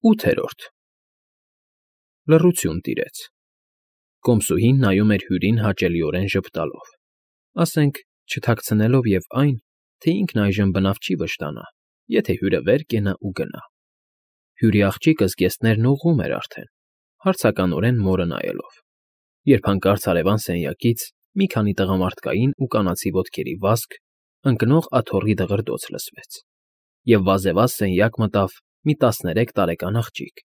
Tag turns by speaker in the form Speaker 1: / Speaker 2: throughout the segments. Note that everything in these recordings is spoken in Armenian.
Speaker 1: 8-րդ Լռություն տիրեց։ Կոմսուհին նայում էր Հյուրին հաճելիորեն ժպտալով, ասենք չթաքցնելով և այն, թե ինքն այժմ բնավ չի վշտանա, եթե հյուրը վեր կենա ու գնա։ Հյուրի աղջիկը զգեստներն ուղղում էր արդեն, հարցականորեն մորը նայելով, երբ հանկարծ հարևան սենյակից մի քանի տղամարդկային ու կանացի ոտքերի վազք, ընկնող աթոռի դղրդոց լսվեց, և վազևազ սենյակ մտավ մի 13 տարեկան աղջիկ,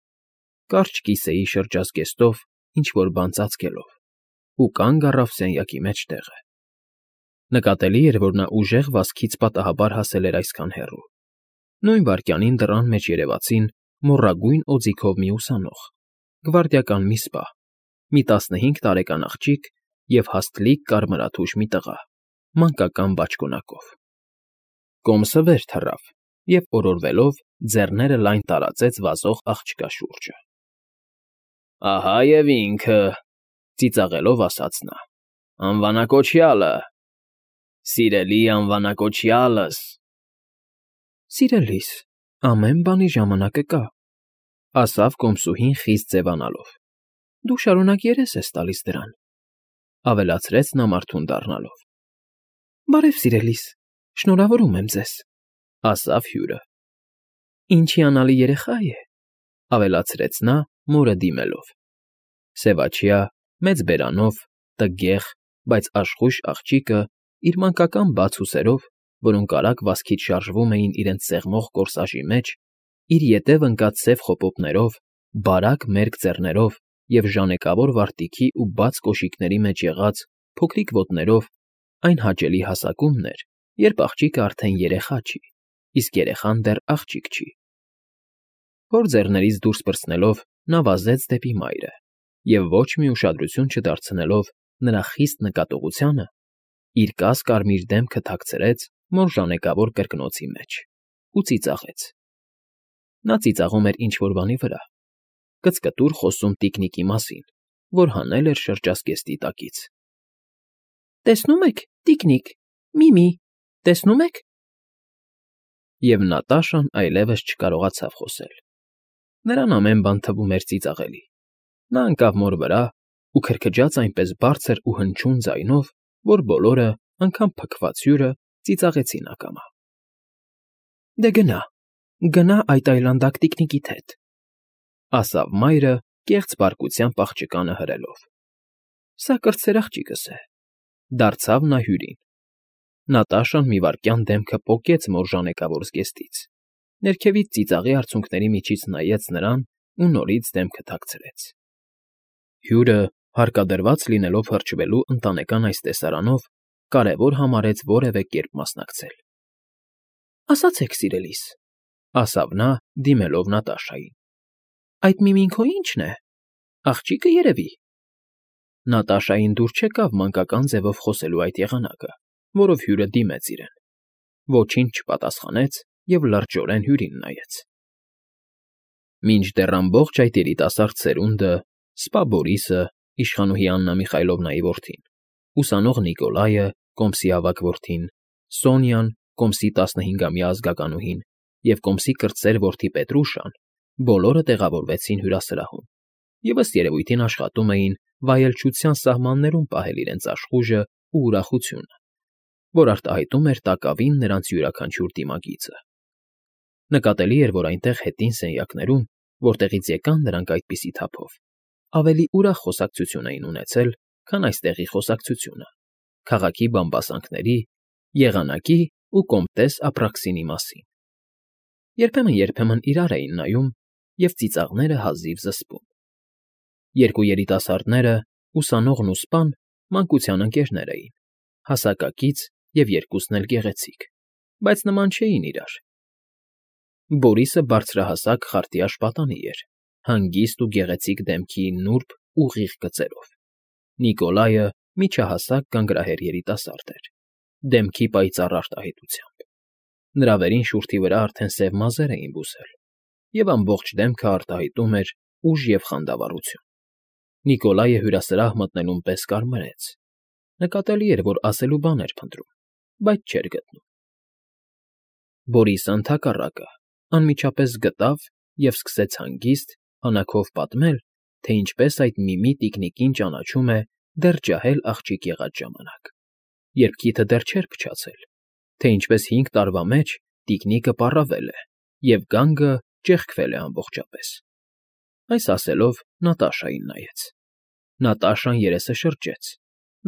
Speaker 1: կարճ կիսեի շրջազգեստով ինչ֊որ բան ծածկելով, ու կանգ առավ սենյակի մեջտեղը։ Նկատելի էր, որ նա ուժեղ վազքից պատահաբար հասել էր այսքան հեռու։ Նույն վայրկյանին դռան մեջ երևացին մոռագույն օձիքով մի ուսանող, գվարդիական մի սպա, մի 15 տարեկան աղջիկ և հաստլիկ կարմրաթուշ մի տղա, մանկական բաճկոնակով։ Կոմսը վեր թռավ և, օրորվելով, ձեռները լայն տարածեց վազող աղջկա շուրջը։ ֊ Ահա և ինքը,֊ ծիծաղելով ասաց նա,֊ անվանակոչյալը… Սիրելի անվանակոչյալս… Սիրելիս, ամեն բանի ժամանակը կա,֊ ասավ կոմսուհին խիստ ձևանալով։֊ Դու շարունակ երես ես տալիս դրան,֊ ավելացրեց նա մարդուն դառնալով։ ֊ Բարև, սիրելիս, շնորհավորում եմ ձեզ,֊ ասավ հյուրը։ ֊ Ինչ հիանալի երեխա է,֊ ավելացրեց նա, մորը դիմելով։ Սևաչյա, մեծ բերանով, տգեղ, բայց աշխույժ աղջիկը իր մանկական բաց ուսերով, որոնք արագ վազքից շարժվում էին իրենց սեղմող կորսաժի մեջ, իր ետև ընկած սև խոպոպներով, բարակ մերկ ձեռներով և ժանեկավոր վարտիքի ու բաց կոշիկների մեջ եղած փոքրիկ ոտներով այն հաճելի հասակումն էր, երբ աղջիկը արդեն երեխա չի, իսկ երեխան դեռ աղջիկ չի։ Հոր ձեռներից դուրս պրծնելով նա վազեց դեպի մայրը և ոչ մի ուշադրություն չդարձնելով նրա խիստ նկատողությանը, իր կաս֊կարմիր դեմքը թաքցրեց մոր ժանեկավոր կրկնոցի մեջ ու ծիծաղեց։ Նա ծիծաղում էր ինչ֊որ բանի վրա, կծկտուր խոսում տիկնիկի մասին, որ հանել էր շրջազգեստի տակից։ ֊ Տեսնում եք, տիկնիկ, Միմի, տեսնում եք… Եվ Նատաշան այլևս չկարողացավ խոսել։ Նրան ամեն բան թվում էր ծիծաղելի։ Նա ընկավ մոր վրա ու քրքջաց այնպես բարձր ու հնչյուն ձայնով, որ բոլորը, անգամ փքված հյուրը, ծիծաղեցին ակամա։ ֊ Դե գնա այդ այլանդակ տիկնիկիդ հետ,֊ ասավ մայրը կեղծ բարկությամբ աղջկանը հրելով։ ֊ Սա կրտսեր աղջիկս է,֊ դարձավ նա հյուրին։ Նատաշան մի վայրկյան դեմքը պոկեց մոր ժանեկավոր զգեստից, ներքևից ծիծաղի արցունքների միջից նայեց նրան ու նորից դեմքը թաքցրեց։ Հյուրը, հարկադրված լինելով հրճվելու ընտանեկան այս տեսարանով, կարևոր համարեց որևէ կերպ մասնակցել։ ֊ Ասացեք, սիրելիս,֊ ասավ նա, դիմելով Նատաշային,֊ այդ Միմին քո ի՞նչն է, աղջիկը երևի… Նատաշային դուր չեկավ մանկական ձևով խոսելու այդ եղանակը, որով հյուրը դիմեց իրեն, ոչինչ չպատասխանեց և լրջորեն հյուրին նայեց։ Մինչդեռ ամբողջ այդ երիտասարդ սերունդը, սպա Բորիսը, իշխանուհի Աննա Միխայլովնայի որդին, ուսանող Նիկոլայը, Կոմսի ավագ որդին, Սոնյան, Կոմսի 15-ամյա ազգականուհին և Կոմսի կրտսեր որդի Պետրուշան բոլորը տեղավորվեցին հյուրասրահում և ըստ երևույթին աշխատում էին վայելչության սահմաններում պահել իրենց աշխույժն ու ուրախությունը, որ արտահայտում էր տակավին նրանց յուրաքանչյուր դիմագիծը։ Նկատելի էր, որ այնտեղ հետին սենյակներում, որտեղից եկան նրանք այդպիսի թափով, ավելի ուրախ խոսակցություն էին ունեցել, քան այստեղի խոսակցությունը՝ քաղաքի բամբասանքների, եղանակի ու կոմտես Ապրաքսինի մասին։ Երբեմն իրար էին նայում և ծիծաղները հազիվ զսպում։ Երկու երիտասարդները, ուսանողն ու սպան, մանկության ընկերներ էին, հասակակից և երկուսն էլ գեղեցիկ, բայց նման չէին իրար։ Բորիսը բարձրահասակ խարտյաշ պատանի էր, հանգիստ ու գեղեցիկ դեմքի նուրբ, ուղիղ գծերով։ Նիկոլայը միջահասակ գանգրահեր երիտասարդ էր, դեմքի պայծառ արտահայտությամբ։ Նրա վերին շուրթի վրա արդեն սև մազեր էին բուսել, և ամբողջ դեմքը արտահայտում էր ուժ և խանդավառություն։ Նիկոլայը հյուրասրահ մտնելուն պես կարմրեց. նկատելի էր, որ ասելու բան էր փնտրում, բայց չէր գտնում։ Բորիսը, ընդհակառակը, անմիջապես գտավ և սկսեց հանգիստ, հանաքով պատմել, թե ինչպես այդ Միմի տիկնիկին ճանաչում է դեռ ջահել աղջիկ եղած ժամանակ, երբ քիթը դեռ չէր փչացել, թե ինչպես 5 տարվա մեջ տիկնիկը պառավել է, և գանգը ճեղքվել է ամբողջապես։ Այս ասելով Նատաշային նայեց։ Նատաշան երեսը շրջեց,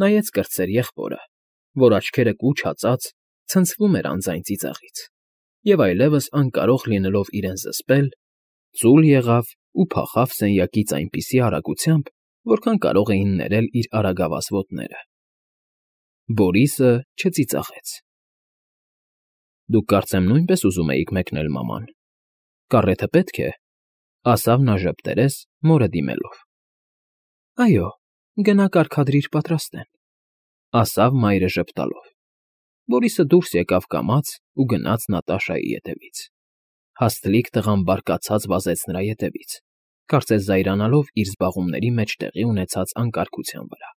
Speaker 1: նայեց կրտսեր եղբորը, որ աչքերը կուչ հածած ցնցվում էր անձայն ծիծաղից, և այլևս անկարող լինելով իրեն զսպել, ծուլ եղավ ու փախավ սենյակից այնպիսի արագությամբ, որքան կարող էին ներել իր արագավազ ոտները։ Բորիսը չծիծաղեց։ ֊ Դուք կարծեմ նույնպես ուզում էիք մեկնել մաման, կառեթը պետք է, ֊ ասավ նա ժպտերես, մորը դիմելով։ ֊ Այո, գնա կարգադրիր պատրաստեն, ֊ ասավ մայրը ժպտալով։ Բորիսը դուրս եկավ կամաց ու գնաց Նատաշայի ետևից։ Հաստլիկ տղան բարկացած վազեց նրա ետևից, կարծես զայրանալով իր զբաղումների մեջ տեղի ունեցած անկարգության վրա։